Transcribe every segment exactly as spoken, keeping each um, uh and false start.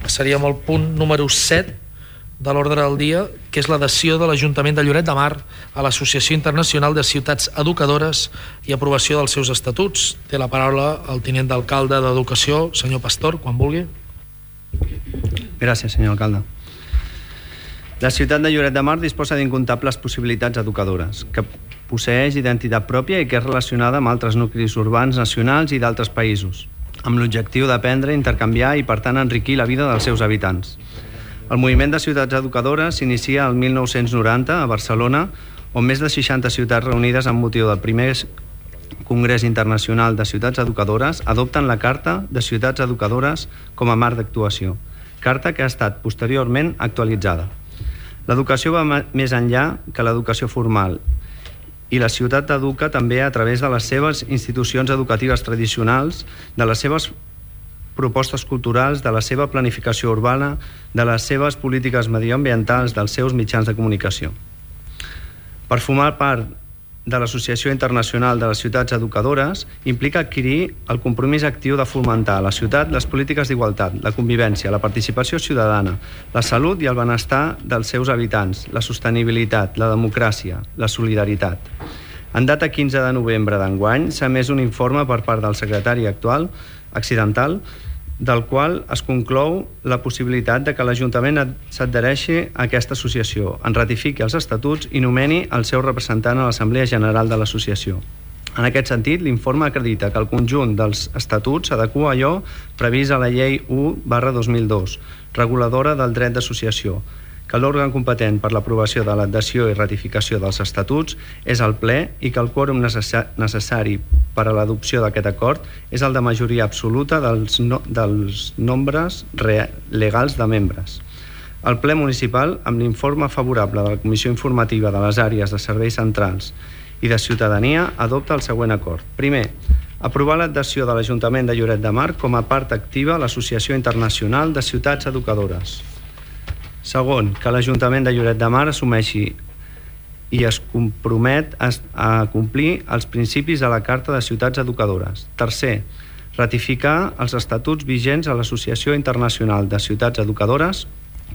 Passaríem al punt número set de l'ordre del dia, que és l'adhesió de l'Ajuntament de Lloret de Mar a l'Associació Internacional de Ciutats Educadores i aprovació dels seus estatuts. Té la paraula el tinent d'alcalde d'Educació, senyor Pastor, quan vulgui. Gràcies, senyor alcalde. La ciutat de Lloret de Mar disposa d'incomptables possibilitats educadores, que posseeix identitat pròpia i que és relacionada amb altres nuclis urbans nacionals i d'altres països, amb l'objectiu d'aprendre, intercanviar i, per tant, enriquir la vida dels seus habitants. El moviment de ciutats educadores s'inicia el mil nou-cents noranta a Barcelona, on més de seixanta ciutats reunides amb motiu del primer Congrés Internacional de Ciutats Educadores adopten la Carta de Ciutats Educadores com a marc d'actuació, carta que ha estat posteriorment actualitzada. L'educació va més enllà que l'educació formal i la ciutat educa també a través de les seves institucions educatives tradicionals, de les seves propostes culturals, de la seva planificació urbana, de les seves polítiques medioambientals, dels seus mitjans de comunicació. Per formar part de l'Associació Internacional de les Ciutats Educadores implica adquirir el compromís actiu de fomentar a la ciutat les polítiques d'igualtat, la convivència, la participació ciutadana, la salut i el benestar dels seus habitants, la sostenibilitat, la democràcia, la solidaritat. En data quinze de novembre d'enguany s'ha emès un informe per part del secretari actual accidental, del qual es conclou la possibilitat de que l'Ajuntament s'adhereixi a aquesta associació, en ratifiqui els estatuts i nomeni el seu representant a l'Assemblea General de l'Associació. En aquest sentit, l'informe acredita que el conjunt dels estatuts s'adequa a allò previst a la Llei u barra dos mil dos, reguladora del dret d'associació, que l'òrgan competent per l'aprovació de l'adhesió i ratificació dels estatuts és el ple i que el quòrum necessari per a l'adopció d'aquest acord és el de majoria absoluta dels, no, dels nombres legals de membres. El ple municipal, amb l'informe favorable de la Comissió Informativa de les Àrees de Serveis Centrals i de Ciutadania, adopta el següent acord. Primer, aprovar l'adhesió de l'Ajuntament de Lloret de Mar com a part activa a l'Associació Internacional de Ciutats Educadores. Segon, que l'Ajuntament de Lloret de Mar assumeixi i es compromet a complir els principis de la Carta de Ciutats Educadores. Tercer, ratificar els estatuts vigents a l'Associació Internacional de Ciutats Educadores,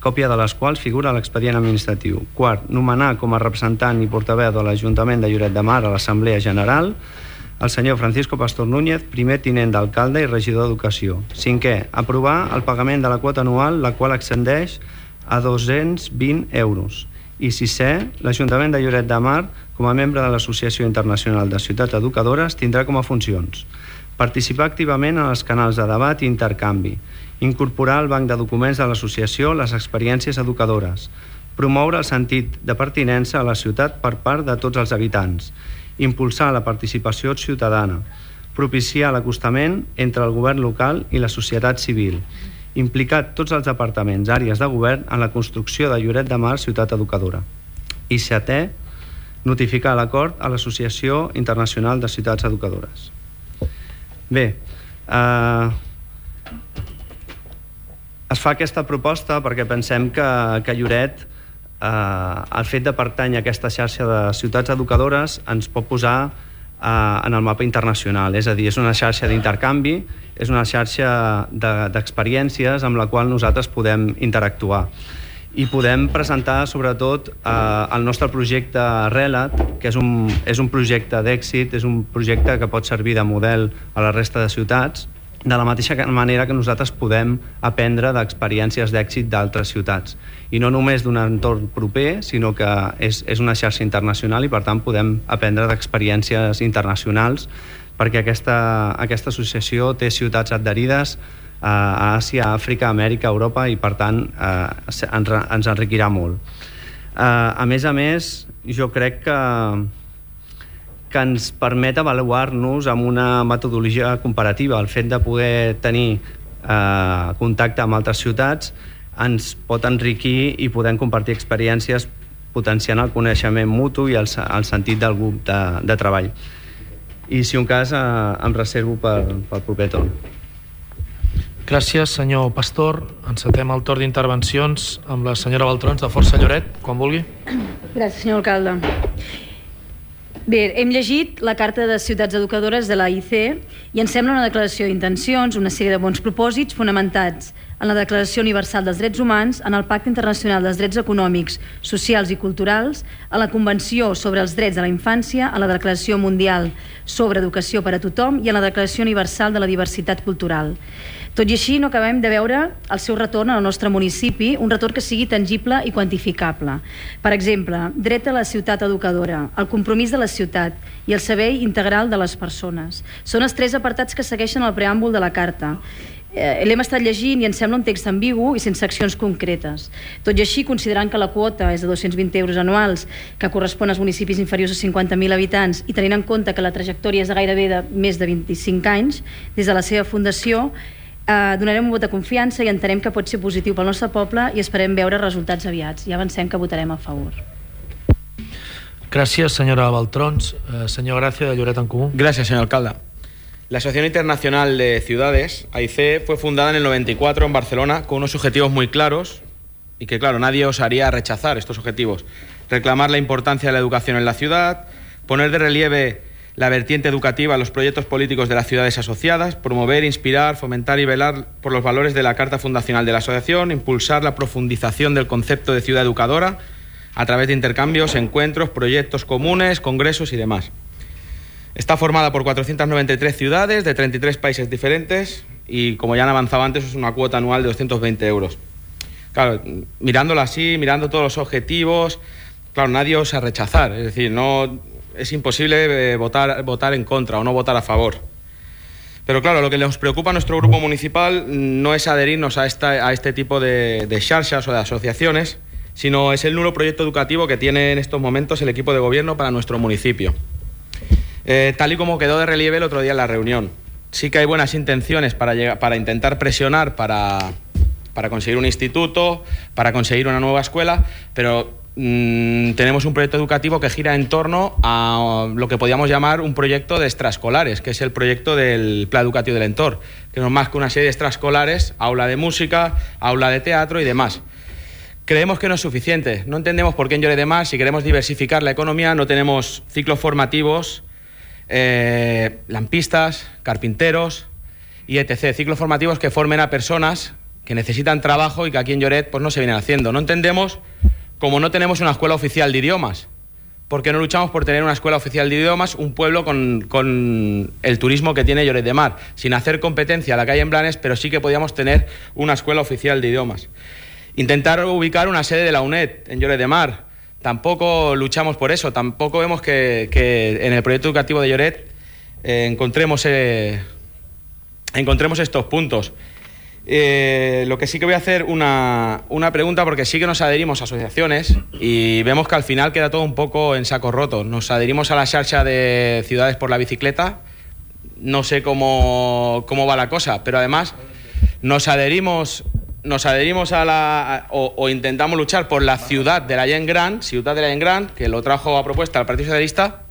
còpia de les quals figura a l'expedient administratiu. Quart, nomenar com a representant i portaveu de l'Ajuntament de Lloret de Mar a l'Assemblea General el senyor Francisco Pastor Núñez, primer tinent d'alcalde i regidor d'Educació. Cinquè, aprovar el pagament de la quota anual, la qual ascendeix a dos-cents vint euros. I sisè, l'Ajuntament de Lloret de Mar, com a membre de l'Associació Internacional de Ciutats Educadores, tindrà com a funcions participar activament en els canals de debat i intercanvi, incorporar al banc de documents de l'associació les experiències educadores, promoure el sentit de pertinença a la ciutat per part de tots els habitants, impulsar la participació ciutadana, propiciar l'acostament entre el govern local i la societat civil, implicar tots els departaments, àrees de govern en la construcció de Lloret de Mar Ciutat Educadora. I setè, notificar l'acord a l'Associació Internacional de Ciutats Educadores. Bé, eh, es fa aquesta proposta perquè pensem que, que Lloret, eh, el fet de pertànyer a aquesta xarxa de ciutats educadores ens pot posar eh, en el mapa internacional, és a dir, és una xarxa d'intercanvi, és una xarxa d'experiències amb la qual nosaltres podem interactuar i podem presentar sobretot eh, el nostre projecte Relat, que és un, és un projecte d'èxit, és un projecte que pot servir de model a la resta de ciutats, de la mateixa manera que nosaltres podem aprendre d'experiències d'èxit d'altres ciutats. I no només d'un entorn proper, sinó que és, és una xarxa internacional i per tant podem aprendre d'experiències internacionals perquè aquesta, aquesta associació té ciutats adherides a Àsia, Àfrica, Amèrica, Europa i per tant eh, ens, ens enriquirà molt. Eh, a més a més, jo crec que, que ens permet avaluar-nos amb una metodologia comparativa. El fet de poder tenir eh, contacte amb altres ciutats ens pot enriquir i podem compartir experiències potenciant el coneixement mutu i el, el sentit del grup de, de treball. I si un cas eh, em reservo per, pel proper torn. Gràcies, senyor Pastor. Encetem el torn d'intervencions amb la senyora Baltrons, de Força Lloret, quan vulgui. Gràcies, senyor alcalde. Bé, hem llegit la Carta de Ciutats Educadores de l'A I C i ens sembla una declaració d'intencions, una sèrie de bons propòsits fonamentats en la Declaració Universal dels Drets Humans, en el Pacte Internacional dels Drets Econòmics, Socials i Culturals, a la Convenció sobre els Drets de la Infància, a la Declaració Mundial sobre Educació per a Tothom i a la Declaració Universal de la Diversitat Cultural. Tot i així, no acabem de veure el seu retorn al nostre municipi, un retorn que sigui tangible i quantificable. Per exemple, dret a la ciutat educadora, el compromís de la ciutat i el servei integral de les persones. Són els tres apartats que segueixen el preàmbul de la Carta. Eh, l'hem estat llegint i ens sembla un text ambigu i sense accions concretes. Tot i així, considerant que la quota és de dos-cents vint euros anuals, que correspon als municipis inferiors a cinquanta mil habitants, i tenint en compte que la trajectòria és de gairebé de més de vint-i-cinc anys, des de la seva fundació, eh, donarem un vot de confiança i entenem que pot ser positiu pel nostre poble i esperem veure resultats aviats. Ja avancem que votarem a favor. Gràcies, senyora Baltrons. Eh, senyor Gràcia, de Lloret en Comú. Gracias, señor alcalde. La Asociación Internacional de Ciudades, A I C, fue fundada en el noventa y cuatro en Barcelona con unos objetivos muy claros y que, claro, nadie osaría rechazar estos objetivos. Reclamar la importancia de la educación en la ciudad, poner de relieve la vertiente educativa en los proyectos políticos de las ciudades asociadas, promover, inspirar, fomentar y velar por los valores de la Carta Fundacional de la Asociación, impulsar la profundización del concepto de ciudad educadora a través de intercambios, encuentros, proyectos comunes, congresos y demás. Está formada por cuatrocientas noventa y tres ciudades de treinta y tres países diferentes y, como ya han avanzado antes, es una cuota anual de doscientos veinte euros. Claro, mirándolo así, mirando todos los objetivos, claro, nadie osa rechazar. Es decir, no, es imposible eh, votar, votar en contra o no votar a favor. Pero claro, lo que nos preocupa a nuestro grupo municipal no es adherirnos a, esta, a este tipo de, de xarxas o de asociaciones, sino es el nulo proyecto educativo que tiene en estos momentos el equipo de gobierno para nuestro municipio. Eh, tal y como quedó de relieve el otro día en la reunión. Sí que hay buenas intenciones para, llegar, para intentar presionar para, para conseguir un instituto, para conseguir una nueva escuela, pero mmm, tenemos un proyecto educativo que gira en torno a lo que podríamos llamar un proyecto de extraescolares, que es el proyecto del Plan Educativo del Entorn, que no es más que una serie de extraescolares, aula de música, aula de teatro y demás. Creemos que no es suficiente. No entendemos por qué en Lloret de Mar, si queremos diversificar la economía, no tenemos ciclos formativos, Eh, lampistas, carpinteros y etcétera. Ciclos formativos que formen a personas que necesitan trabajo y que aquí en Lloret pues, no se vienen haciendo. No entendemos cómo no tenemos una escuela oficial de idiomas. ¿Por qué no luchamos por tener una escuela oficial de idiomas, un pueblo con, con el turismo que tiene Lloret de Mar, sin hacer competencia a la que hay en Blanes, pero sí que podíamos tener una escuela oficial de idiomas? Intentar ubicar una sede de la UNED en Lloret de Mar. Tampoco luchamos por eso, tampoco vemos que, que en el proyecto educativo de Lloret eh, encontremos, eh, encontremos estos puntos. Eh, lo que sí que voy a hacer una, una pregunta, porque sí que nos adherimos a asociaciones y vemos que al final queda todo un poco en saco roto. Nos adherimos a la xarxa de Ciudades por la Bicicleta, no sé cómo, cómo va la cosa, pero además nos adherimos... Nos adherimos a la a, o, o intentamos luchar por la ciudad de la Gent Gran, ciudad de la Gent Gran, que lo trajo a propuesta el Partido Socialista.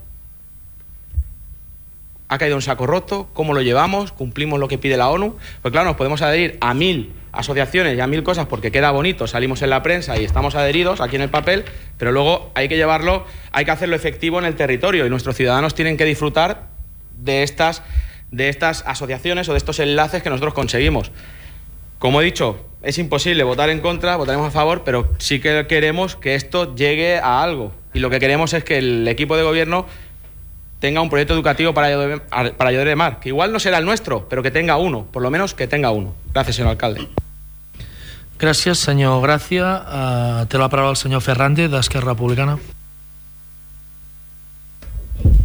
Ha caído en saco roto. ¿Cómo lo llevamos? ¿Cumplimos lo que pide la ONU? Pues claro, nos podemos adherir a mil asociaciones y a mil cosas porque queda bonito, salimos en la prensa y estamos adheridos aquí en el papel, pero luego hay que llevarlo, hay que hacerlo efectivo en el territorio y nuestros ciudadanos tienen que disfrutar de estas, de estas asociaciones o de estos enlaces que nosotros conseguimos. Como he dicho, es imposible votar en contra, votaremos a favor, pero sí que queremos que esto llegue a algo. Y lo que queremos es que el equipo de gobierno tenga un proyecto educativo para Lloret, para Lloret de Mar, que igual no será el nuestro, pero que tenga uno, por lo menos que tenga uno. Gracias, señor alcalde. Gràcies, senyor Gràcia. Uh, té la paraula el senyor Ferrande, d'Esquerra Republicana.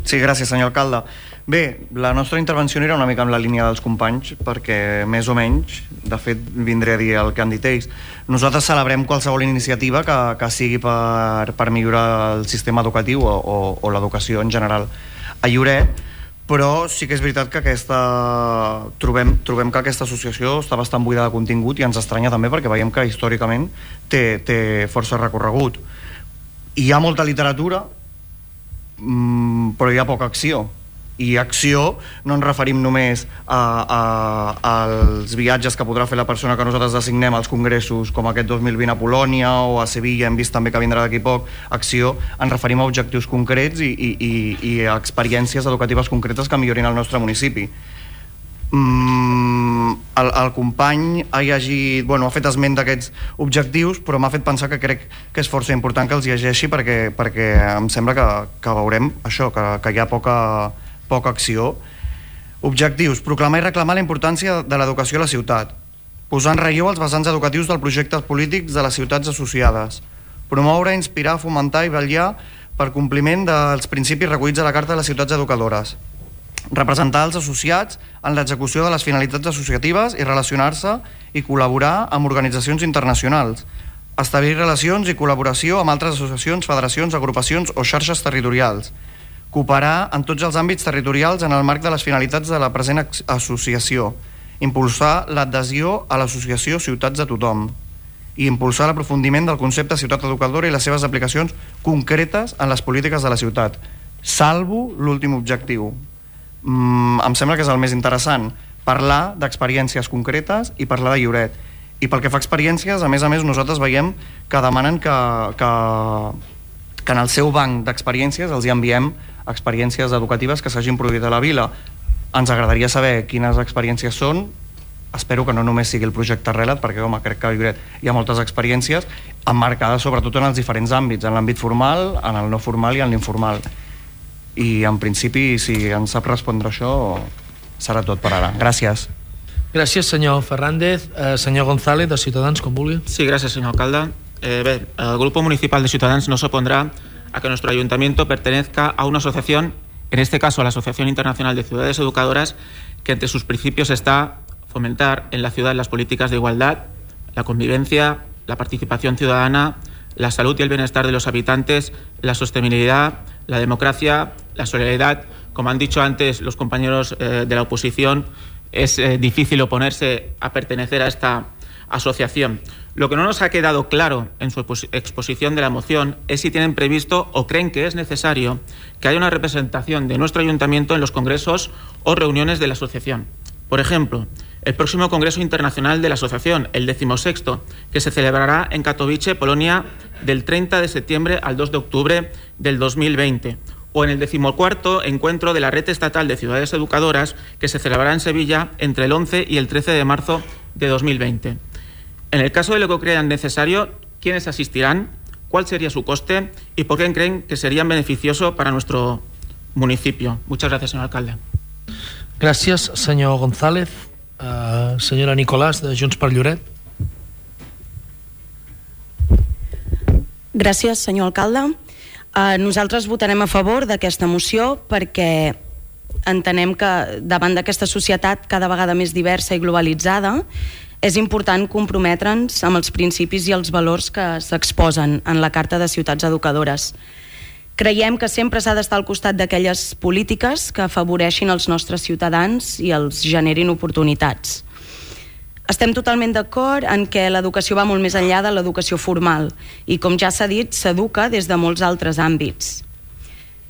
Sí, gràcies, senyor alcalde. Bé, la nostra intervenció era una mica en la línia dels companys, perquè més o menys, de fet, vindré a dir el que han dit ells. Nosaltres celebrem qualsevol iniciativa que, que sigui per, per millorar el sistema educatiu o, o, o l'educació en general a Lloret, però sí que és veritat que aquesta, trobem, trobem que aquesta associació està bastant buida de contingut i ens estranya també perquè veiem que històricament té, té força recorregut. Hi ha molta literatura, mmm, però hi ha poca acció. I acció no ens referim només a, a, als viatges que podrà fer la persona que nosaltres designem als congressos com aquest dos mil vint a Polònia o a Sevilla, hem vist també que vindrà d'aquí poc. Acció, ens referim a objectius concrets i, i, i, i a experiències educatives concretes que millorin el nostre municipi. Mm, el, el company ha llegit, bueno, ha fet esment d'aquests objectius, però m'ha fet pensar que crec que és força important que els llegeixi perquè, perquè em sembla que, que veurem això, que, que hi ha poca, poca acció. Objectius: proclamar i reclamar la importància de l'educació a la ciutat, posar en relleu els vessants educatius dels projectes polítics de les ciutats associades, promoure, inspirar, fomentar i vetllar per compliment dels principis recollits a la Carta de les Ciutats Educadores, representar els associats en l'execució de les finalitats associatives i relacionar-se i col·laborar amb organitzacions internacionals, establir relacions i col·laboració amb altres associacions, federacions, agrupacions o xarxes territorials, cooperar en tots els àmbits territorials en el marc de les finalitats de la present associació, impulsar l'adhesió a l'associació Ciutats de Tothom i impulsar l'aprofundiment del concepte ciutat educadora i les seves aplicacions concretes en les polítiques de la ciutat, salvo l'últim objectiu. Mm, em sembla que és el més interessant, parlar d'experiències concretes i parlar de Lloret. I pel que fa a experiències, a més a més nosaltres veiem que demanen que, que, que en el seu banc d'experiències els hi enviem experiències educatives que s'hagin produït a la vila. Ens agradaria saber quines experiències són. Espero que no només sigui el projecte Relat, perquè home, crec que a Lloret hi ha moltes experiències emmarcades sobretot en els diferents àmbits, en l'àmbit formal, en el no formal i en l'informal. I en principi, si ens sap respondre això, serà tot per ara. Gràcies. Gràcies, senyor Fernández. Eh, senyor González, de Ciutadans, com vulgui. Sí, gracias, señor alcalde. Eh, bé, el Grupo Municipal de Ciudadanos no se opondrá a que nuestro ayuntamiento pertenezca a una asociación, en este caso a la Asociación Internacional de Ciudades Educadoras, que entre sus principios está fomentar en la ciudad las políticas de igualdad, la convivencia, la participación ciudadana, la salud y el bienestar de los habitantes, la sostenibilidad, la democracia, la solidaridad. Como han dicho antes los compañeros eh, de la oposición, es eh, difícil oponerse a pertenecer a esta asociación. Lo que no nos ha quedado claro en su exposición de la moción es si tienen previsto o creen que es necesario que haya una representación de nuestro ayuntamiento en los congresos o reuniones de la asociación. Por ejemplo, el próximo Congreso Internacional de la Asociación, el decimosexto, que se celebrará en Katowice, Polonia, del treinta de septiembre al dos de octubre del dos mil veinte, o en el decimocuarto Encuentro de la Red Estatal de Ciudades Educadoras, que se celebrará en Sevilla entre el once y el trece de marzo de dos mil veinte. En el caso de lo que crean necesario, ¿quiénes asistirán? ¿Cuál sería su coste? ¿Y por qué creen que serían beneficioso para nuestro municipio? Muchas gracias, señor alcalde. Gràcies, senyor González. Uh, senyora Nicolàs, de Junts per Lloret. Gràcies, senyor alcalde. Uh, nosaltres votarem a favor d'aquesta moció perquè entenem que davant d'aquesta societat cada vegada més diversa i globalitzada és important comprometre'ns amb els principis i els valors que s'exposen en la Carta de Ciutats Educadores. Creiem que sempre s'ha d'estar al costat d'aquelles polítiques que afavoreixin els nostres ciutadans i els generin oportunitats. Estem totalment d'acord en que l'educació va molt més enllà de l'educació formal i, com ja s'ha dit, s'educa des de molts altres àmbits.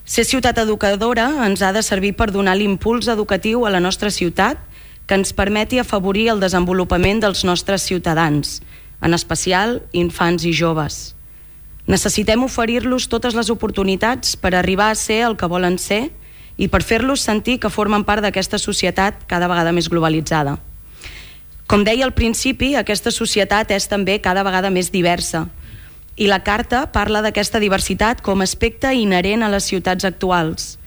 Ser ciutat educadora ens ha de servir per donar l'impuls educatiu a la nostra ciutat que ens permeti afavorir el desenvolupament dels nostres ciutadans, en especial infants i joves. Necessitem oferir-los totes les oportunitats per arribar a ser el que volen ser i per fer-los sentir que formen part d'aquesta societat cada vegada més globalitzada. Com deia al principi, aquesta societat és també cada vegada més diversa i la Carta parla d'aquesta diversitat com a aspecte inherent a les ciutats actuals.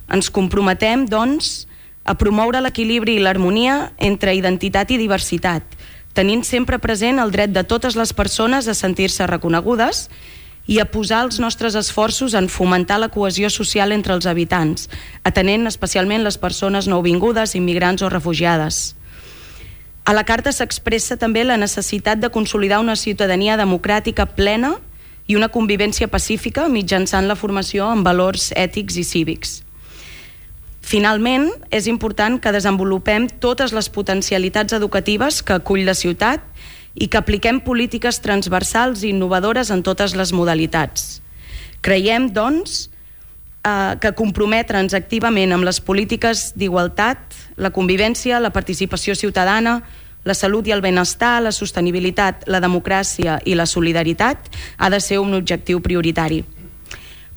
Ens comprometem, doncs, a promoure l'equilibri i l'harmonia entre identitat i diversitat, tenint sempre present el dret de totes les persones a sentir-se reconegudes i a posar els nostres esforços en fomentar la cohesió social entre els habitants, atenent especialment les persones nouvingudes, immigrants o refugiades. A la Carta s'expressa també la necessitat de consolidar una ciutadania democràtica plena i una convivència pacífica mitjançant la formació en valors ètics i cívics. Finalment, és important que desenvolupem totes les potencialitats educatives que acull la ciutat i que apliquem polítiques transversals i innovadores en totes les modalitats. Creiem, doncs, eh, que comprometre'ns activament amb les polítiques d'igualtat, la convivència, la participació ciutadana, la salut i el benestar, la sostenibilitat, la democràcia i la solidaritat ha de ser un objectiu prioritari.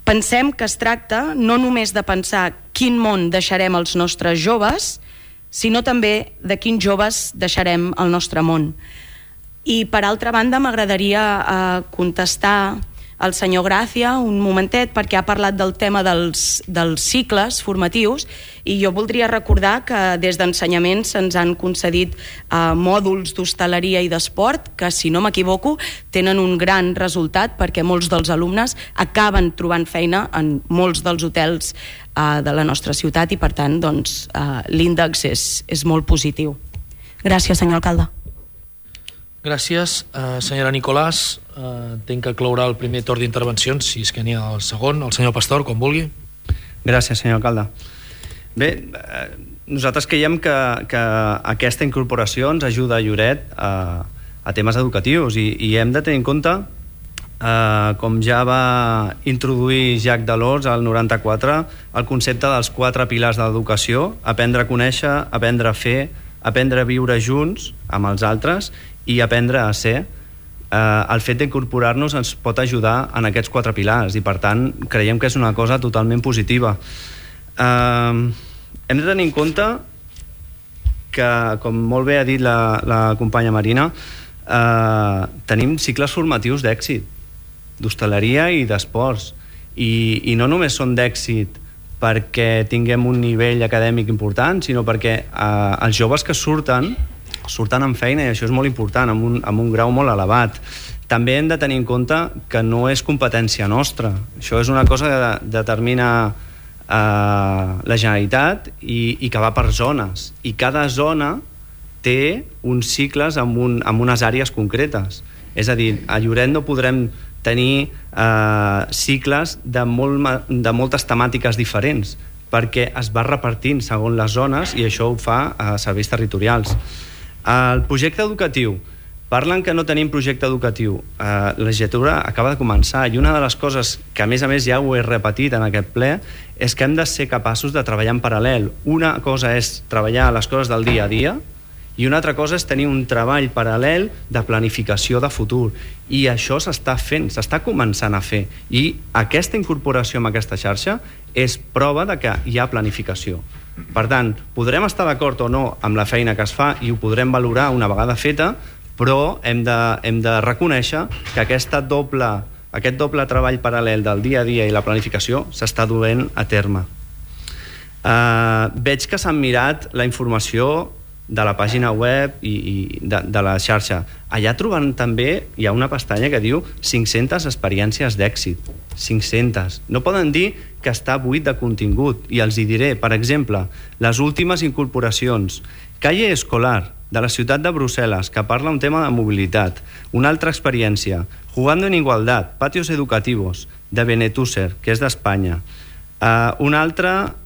Pensem que es tracta no només de pensar quin món deixarem als nostres joves, sinó també de quins joves deixarem al nostre món. I per altra banda m'agradaria eh, contestar al senyor Gràcia un momentet, perquè ha parlat del tema dels, dels cicles formatius, i jo voldria recordar que des d'ensenyament se'ns han concedit eh, mòduls d'hostaleria i d'esport que, si no m'equivoco, tenen un gran resultat, perquè molts dels alumnes acaben trobant feina en molts dels hotels eh, de la nostra ciutat, i per tant doncs, eh, l'índex és, és molt positiu. Gràcies, senyor alcalde. Gràcies. Uh, senyora Nicolàs, uh, entenc que clourà el primer torn d'intervencions, si és que n'hi ha el segon. El senyor Pastor, quan vulgui. Gràcies, senyor alcalde. Bé, eh, nosaltres creiem que, que aquesta incorporació ens ajuda a Lloret a, a temes educatius, i, i hem de tenir en compte, eh, com ja va introduir Jacques Delors al noranta-quatre, el concepte dels quatre pilars de l'educació: aprendre a conèixer, aprendre a fer, aprendre a viure junts amb els altres i aprendre a ser. Eh, el fet d'incorporar-nos ens pot ajudar en aquests quatre pilars, i per tant creiem que és una cosa totalment positiva. Eh, hem de tenir en compte que, com molt bé ha dit la, la companya Marina, eh, tenim cicles formatius d'èxit, d'hostaleria i d'esports, i, i no només són d'èxit perquè tinguem un nivell acadèmic important, sinó perquè eh, els joves que surten surten amb feina, i això és molt important, amb un, amb un grau molt elevat. També hem de tenir en compte que no és competència nostra. Això és una cosa que determina eh, la Generalitat, i, i que va per zones. I cada zona té uns cicles amb, un, amb unes àrees concretes. És a dir, a Lloret no podrem tenir eh, cicles de, molt, de moltes temàtiques diferents, perquè es va repartint segons les zones, i això ho fa a serveis territorials. El projecte educatiu, parlen que no tenim projecte educatiu. Eh, la legislatura acaba de començar, i una de les coses que, a més a més, ja ho he repetit en aquest ple, és que hem de ser capaços de treballar en paral·lel. Una cosa és treballar les coses del dia a dia, i una altra cosa és tenir un treball paral·lel de planificació de futur, i això s'està fent, s'està començant a fer, i aquesta incorporació amb aquesta xarxa és prova de que hi ha planificació. Per tant, podrem estar d'acord o no amb la feina que es fa, i ho podrem valorar una vegada feta, però hem de, hem de reconèixer que aquesta doble, aquest doble treball paral·lel del dia a dia i la planificació s'està duent a terme. Uh, veig que s'han mirat la informació de la pàgina web i, i de, de la xarxa. Allà troben també, hi ha una pestanya que diu cinc-centes experiències d'èxit. cinc-centes. No poden dir que està buit de contingut, i els hi diré. Per exemple, les últimes incorporacions: Calle Escolar, de la ciutat de Brussel·les, que parla un tema de mobilitat. Una altra experiència: Jugando en Igualdad, Patios Educativos, de Benetússer, que és d'Espanya. Uh, una altra,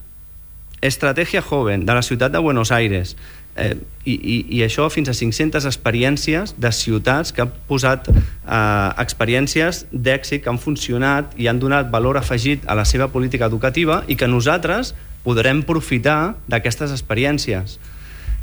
Estrategia Joven, de la ciutat de Buenos Aires. Eh, i, i, i això fins a cinc-centes experiències de ciutats que han posat eh, experiències d'èxit que han funcionat i han donat valor afegit a la seva política educativa, i que nosaltres podrem aprofitar d'aquestes experiències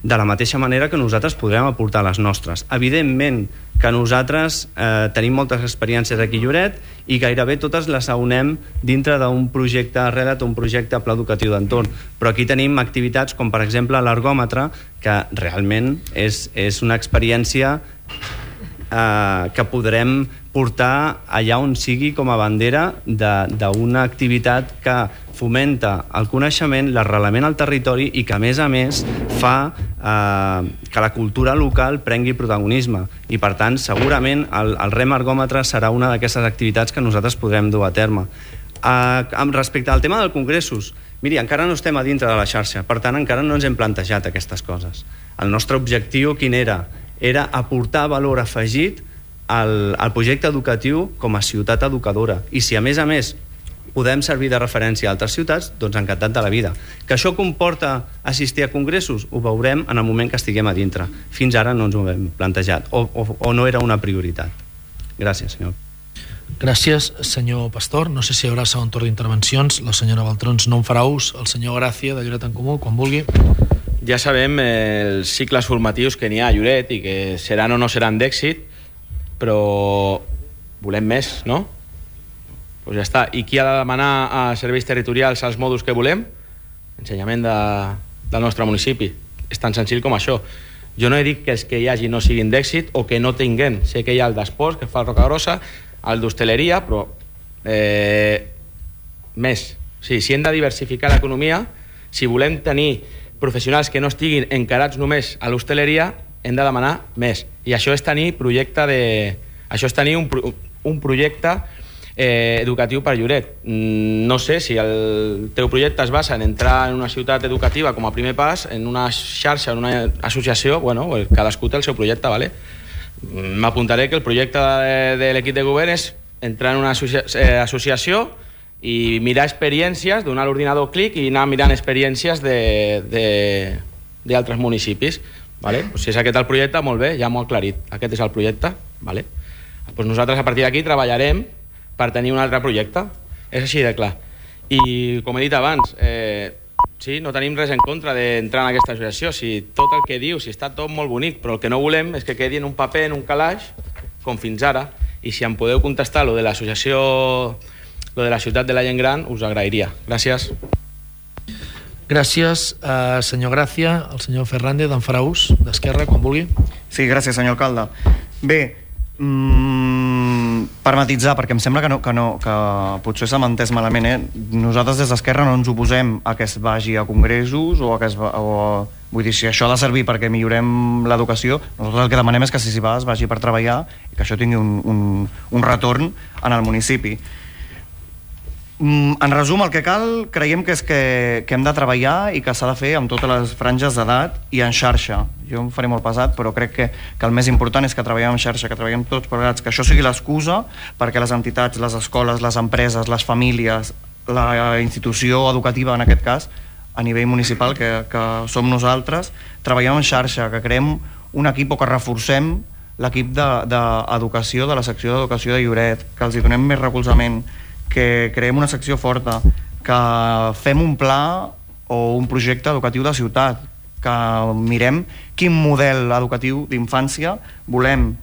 de la mateixa manera que nosaltres podrem aportar les nostres. Evidentment que nosaltres eh, tenim moltes experiències aquí a Lloret, i gairebé totes les aunem dintre d'un projecte Redat, un projecte Pla Educatiu d'Entorn, però aquí tenim activitats com, per exemple, l'ergòmetre, que realment és, és una experiència eh, que podrem portar allà on sigui com a bandera d'una activitat que fomenta el coneixement, l'arrelament al territori, i que, a més a més, fa eh, que la cultura local prengui protagonisme. I, per tant, segurament el, el rem ergòmetre serà una d'aquestes activitats que nosaltres podrem dur a terme. Eh, respecte al tema dels congressos, miri, encara no estem a dintre de la xarxa, per tant, encara no ens hem plantejat aquestes coses. El nostre objectiu quin era? Era aportar valor afegit al, al projecte educatiu com a ciutat educadora. I si, a més a més, podem servir de referència a altres ciutats, doncs encantat de la vida. Que això comporta assistir a congressos? Ho veurem en el moment que estiguem a dintre. Fins ara no ens ho hem plantejat, o, o, o no era una prioritat. Gràcies, senyor. Gràcies, senyor Pastor. No sé si hi haurà segon torn d'intervencions. La senyora Baltrons no en farà ús. El senyor Gràcia, de Lloret en Comú, quan vulgui. Ja sabem els cicles formatius que n'hi ha a Lloret i que seran o no seran d'èxit, però volem més, no? Doncs ja està. I qui ha de demanar a serveis territorials els mòduls que volem? Ensenyament de, del nostre municipi. és tan senzill com això. Jo no he dit que els que hi hagi no siguin d'èxit o que no tinguem. Sé que hi ha el d'esports, que fa el Rocagrossa, el d'hostaleria, però eh, més. O sigui, si hem de diversificar l'economia, si volem tenir professionals que no estiguin encarats només a l'hostaleria, hem de demanar més. I això és tenir projecte de... Això és tenir un, un projecte eh, educatiu per Lloret. No sé si el teu projecte es basa en entrar en una ciutat educativa com a primer pas, en una xarxa, en una associació, bueno, cadascú té el seu projecte, ¿vale? M'apuntaré que el projecte de, de l'equip de govern és entrar en una associa eh, associació i mirar experiències, donar l'ordinador clic i anar mirant experiències d'altres municipis. Vale? Pues si és aquest el projecte, molt bé, ja m'ho ha aclarit. Aquest és el projecte. Vale? Pues nosaltres a partir d'aquí treballarem per tenir un altre projecte. És així de clar. I com he dit abans, eh, sí, no tenim res en contra d'entrar en aquesta associació. Si tot el que diu, si està tot molt bonic, però el que no volem és que quedi en un paper, en un calaix, com fins ara. I si em podeu contestar lo de l'associació, lo de la ciutat de la gent gran, us agrairia. Gràcies. Gràcies, eh, senyor Gràcia. El senyor Fernández, d'en farà ús, d'Esquerra, quan vulgui. Sí, gràcies, senyor alcalde. Bé, mmm, per matitzar, perquè em sembla que, no, que, no, que potser s'ha entès malament, eh? Nosaltres des d'Esquerra no ens oposem a que es vagi a congressos o a que es va, o, vull dir, si això ha de servir perquè millorem l'educació, nosaltres el que demanem és que si s'hi va es vagi per treballar i que això tingui un, un, un retorn en el municipi. En resum, el que cal creiem que és que, que hem de treballar i que s'ha de fer amb totes les franges d'edat i en xarxa. Jo em faré molt pesat, però crec que, que el més important és que treballem en xarxa, que treballem tots plegats, que això sigui l'excusa perquè les entitats, les escoles, les empreses, les famílies, la institució educativa, en aquest cas, a nivell municipal, que, que som nosaltres, treballem en xarxa, que creem un equip o que reforcem l'equip d'educació, de, de la secció d'educació de Lloret, que els hi donem més recolzament, que creem una secció forta, que fem un pla o un projecte educatiu de ciutat, que mirem quin model educatiu d'infància volem,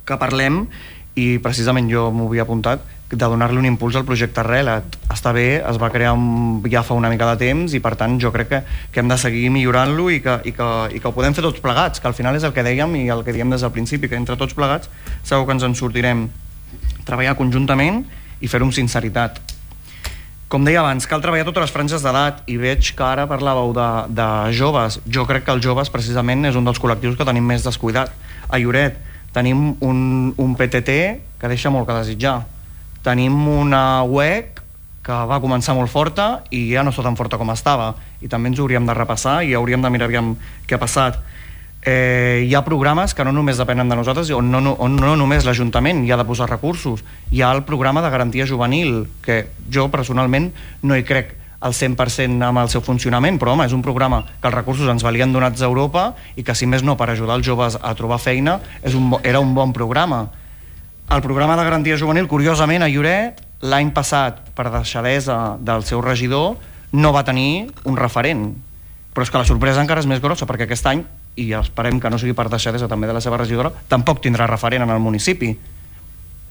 que parlem, i precisament jo m'ho havia apuntat, de donar-li un impuls al projecte Relat. Està bé, es va crear un, ja fa una mica de temps, i per tant jo crec que, que hem de seguir millorant-lo i, que, i, que, i que ho podem fer tots plegats, que al final és el que dèiem i el que diem des del principi, que entre tots plegats segur que ens en sortirem. Treballar conjuntament i fer-ho amb sinceritat. Com deia abans, cal treballar totes les franges d'edat, i veig que ara parlàveu de, de joves. Jo crec que els joves precisament és un dels col·lectius que tenim més descuidat. A Lloret tenim un, un P T T que deixa molt que desitjar. Tenim una U E C que va començar molt forta i ja no està tan forta com estava, i també ens ho hauríem de repassar i hauríem de mirar aviam què ha passat. Eh, hi ha programes que no només depenen de nosaltres, on no, no, on no només l'Ajuntament hi ha de posar recursos. Hi ha el programa de garantia juvenil, que jo personalment no hi crec al cent per cent amb el seu funcionament, però home, és un programa que els recursos ens valien donats a Europa i que, si més no, per ajudar els joves a trobar feina, és un, era un bon programa. El programa de garantia juvenil, curiosament, a Lloret, l'any passat, per deixadesa del seu regidor, no va tenir un referent. Però és que la sorpresa encara és més grossa, perquè aquest any, i esperem que no sigui per deixadesa també de la seva regidora, tampoc tindrà referent en el municipi.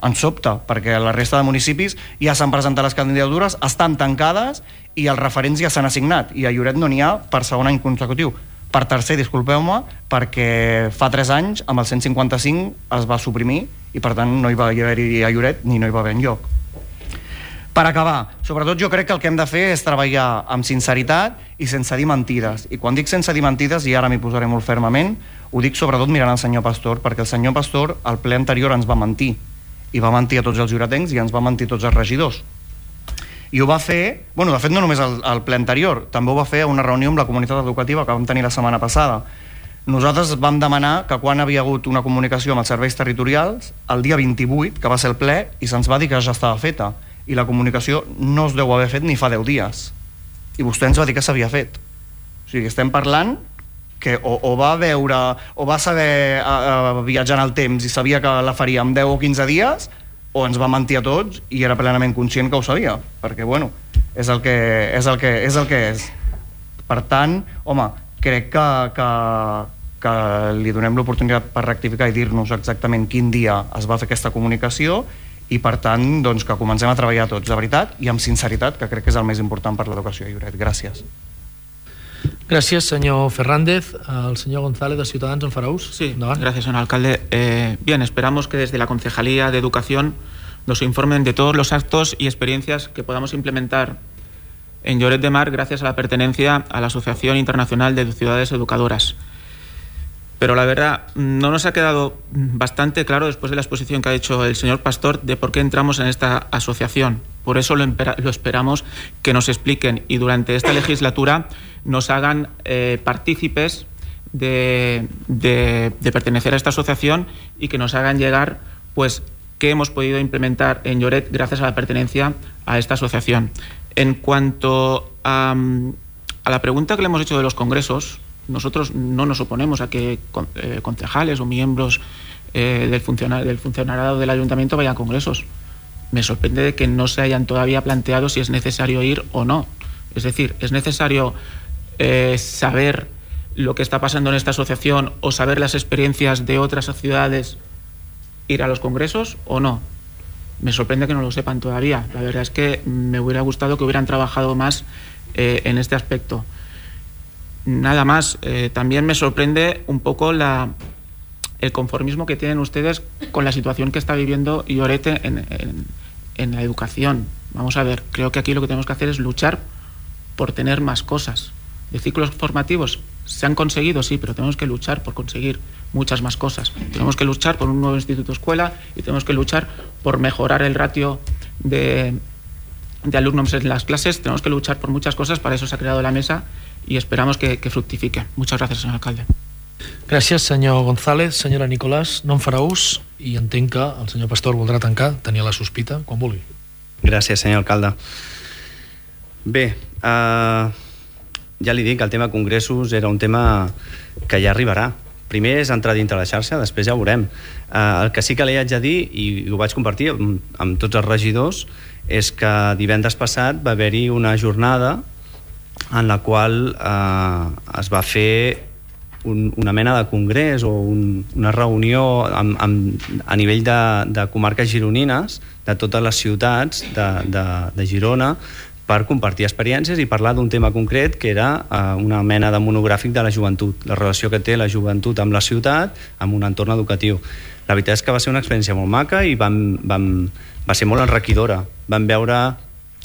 Ens sobta, perquè la resta de municipis ja s'han presentat les candidatures, estan tancades i els referents ja s'han assignat, i a Lloret no n'hi ha per segon any consecutiu. Per tercer, disculpeu-me, perquè fa tres anys amb el cent cinquanta-cinc es va suprimir i per tant no hi va haver-hi a Lloret ni no hi va haver enlloc. Per acabar, sobretot jo crec que el que hem de fer és treballar amb sinceritat i sense dir mentides. I quan dic sense dir mentides, i ara m'hi posaré molt fermament, ho dic sobretot mirant el senyor Pastor, perquè el senyor Pastor al ple anterior ens va mentir, i va mentir a tots els lloretencs i ens va mentir a tots els regidors. I ho va fer, bueno, de fet no només al, al ple anterior, també ho va fer a una reunió amb la comunitat educativa que vam tenir la setmana passada. Nosaltres vam demanar que quan havia hagut una comunicació amb els serveis territorials, el dia vint-i-vuit, que va ser el ple, i se'ns va dir que ja estava feta, i la comunicació no es deu haver fet ni fa deu dies, i vostè ens va dir que s'havia fet. O sigui, estem parlant que o, o va veure o va saber uh, viatjar en el temps i sabia que la faria en deu o quinze dies, o ens va mentir a tots i era plenament conscient que ho sabia, perquè bueno, és el que és el que és, el que és. Per tant, home, crec que, que, que li donem l'oportunitat per rectificar i dir-nos exactament quin dia es va fer aquesta comunicació, i per tant doncs, que comencem a treballar tots de veritat i amb sinceritat, que crec que és el més important per l'educació a Lloret. Gràcies. Gràcies, senyor Fernández. El señor González, de Ciudadanos, en farà ús? Sí, gracias, señor alcalde. Eh, bien, esperamos que desde la Concejalía de Educación nos informen de todos los actos y experiencias que podamos implementar en Lloret de Mar gracias a la pertenencia a la Asociación Internacional de Ciudades Educadoras. Pero la verdad, no nos ha quedado bastante claro, después de la exposición que ha hecho el señor Pastor, de por qué entramos en esta asociación. Por eso lo, lo esperamos que nos expliquen y durante esta legislatura nos hagan eh, partícipes de, de, de pertenecer a esta asociación y que nos hagan llegar pues qué hemos podido implementar en Lloret gracias a la pertenencia a esta asociación. En cuanto a, a la pregunta que le hemos hecho de los congresos, nosotros no nos oponemos a que eh, concejales o miembros eh, del, funcionar, del funcionariado del ayuntamiento vayan a congresos. Me sorprende de que no se hayan todavía planteado si es necesario ir o no. Es decir, ¿es necesario eh, saber lo que está pasando en esta asociación o saber las experiencias de otras ciudades, ir a los congresos o no? Me sorprende que no lo sepan todavía. La verdad es que me hubiera gustado que hubieran trabajado más eh, en este aspecto. Nada más, eh, también me sorprende un poco la, el conformismo que tienen ustedes con la situación que está viviendo Lloret en, en, en la educación. Vamos a ver, creo que aquí lo que tenemos que hacer es luchar por tener más cosas. De ciclos formativos se han conseguido, sí, pero tenemos que luchar por conseguir muchas más cosas. Tenemos que luchar por un nuevo instituto escuela y tenemos que luchar por mejorar el ratio de, de alumnos en las clases. Tenemos que luchar por muchas cosas, para eso se ha creado la mesa y esperamos que, que fructifique. Muchas gracias, señor alcalde. Gràcies, senyor González. Senyora Nicolàs, no en farà ús i entenc que el senyor Pastor voldrà tancar, tenia la sospita, quan vulgui. Gràcies, senyor alcalde. Bé, eh, ja li dic que el tema congressos era un tema que ja arribarà. Primer és entrar dintre la xarxa, després ja ho veurem. Eh, el que sí que li haig de dir, i ho vaig compartir amb, amb tots els regidors, és que divendres passat va haver-hi una jornada en la qual eh, es va fer un, una mena de congrés o un, una reunió amb, amb, a nivell de, de comarques gironines, de totes les ciutats de, de, de Girona, per compartir experiències i parlar d'un tema concret que era eh, una mena de monogràfic de la joventut, la relació que té la joventut amb la ciutat, amb un entorn educatiu. La veritat és que va ser una experiència molt maca i vam, vam, va ser molt enriquidora. Vam veure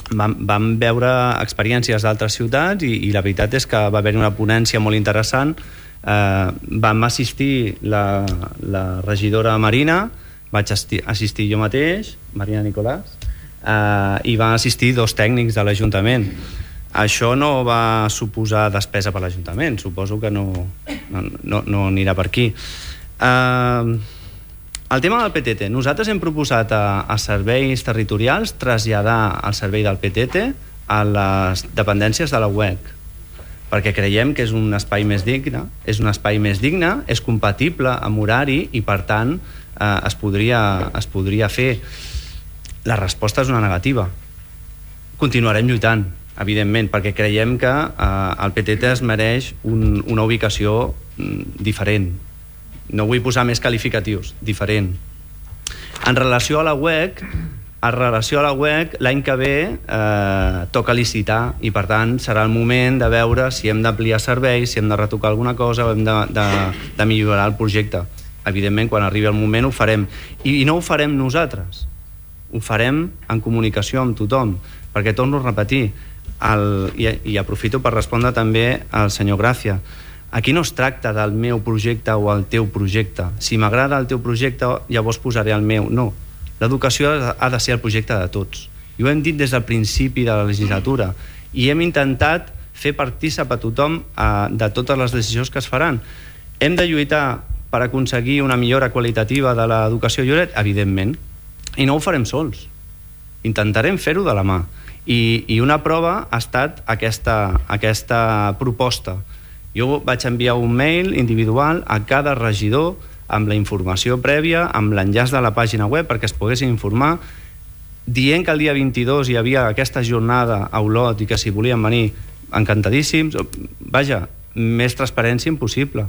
Vam, vam veure experiències d'altres ciutats i, i la veritat és que va haver una ponència molt interessant. Eh, vam assistir la, la regidora Marina, vaig assistir, assistir jo mateix, Marina Nicolàs, eh, i van assistir dos tècnics de l'Ajuntament. Això no va suposar despesa per l'Ajuntament, suposo que no, no, no, no anirà per aquí. Eh, El tema del P T T. Nosaltres hem proposat a, a serveis territorials traslladar el servei del P T T a les dependències de la U E C, perquè creiem que és un espai més digne, és un espai més digne, és compatible amb horari i, per tant, eh, es, podria, es podria fer. La resposta és una negativa. Continuarem lluitant, evidentment, perquè creiem que eh, el P T T es mereix un, una ubicació mm, diferent. No vull posar més qualificatius, diferent. En relació a la U E C, en relació a la U E C, l'any que ve eh, toca licitar i, per tant, serà el moment de veure si hem d'ampliar serveis, si hem de retocar alguna cosa o hem de, de, de millorar el projecte. Evidentment, quan arribi el moment ho farem. I, i no ho farem nosaltres, ho farem en comunicació amb tothom, perquè torno a repetir, el, i, i aprofito per respondre també al senyor Gràcia. Aquí no es tracta del meu projecte o el teu projecte. Si m'agrada el teu projecte, llavors posaré el meu. No. L'educació ha de ser el projecte de tots. I ho hem dit des del principi de la legislatura. I hem intentat fer partícip a tothom eh, de totes les decisions que es faran. Hem de lluitar per aconseguir una millora qualitativa de l'educació a Lloret? Evidentment. I no ho farem sols. Intentarem fer-ho de la mà. I, i una prova ha estat aquesta, aquesta proposta. Jo vaig enviar un mail individual a cada regidor amb la informació prèvia, amb l'enllaç de la pàgina web perquè es poguessin informar, dient que el dia vint-i-dos hi havia aquesta jornada a Olot i que si volien venir encantadíssims. Vaja, més transparència impossible.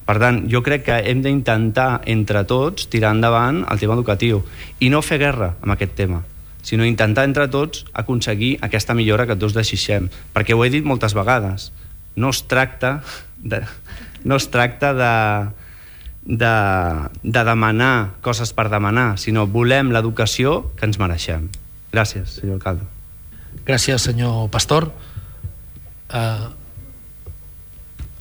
Per tant, jo crec que hem d'intentar entre tots tirar endavant el tema educatiu i no fer guerra amb aquest tema, sinó intentar entre tots aconseguir aquesta millora que tots desitgem, perquè ho he dit moltes vegades. no es tracta de, no es tracta de, de, de demanar coses per demanar, sinó volem l'educació que ens mereixem. Gràcies, senyor alcalde. Gràcies, senyor Pastor. Uh,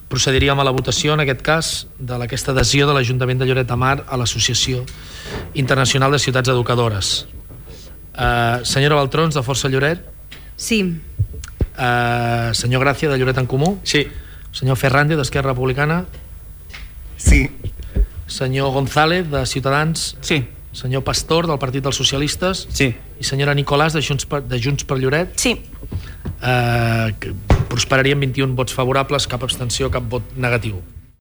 procediríem a la votació, en aquest cas, de aquesta adhesió de l'Ajuntament de Lloret de Mar a l'Associació Internacional de Ciutats Educadores. Uh, senyora Baltrons, de Força Lloret? Sí. Uh, senyor Gràcia, de Lloret en Comú? Sí. Senyor Ferrandi, d'Esquerra Republicana? Sí. Senyor González, de Ciutadans? Sí. Senyor Pastor, del Partit dels Socialistes? Sí. I senyora Nicolàs, de Junts per, de Junts per Lloret? Sí. Uh, prosperarien vint-i-un vots favorables, cap abstenció, cap vot negatiu.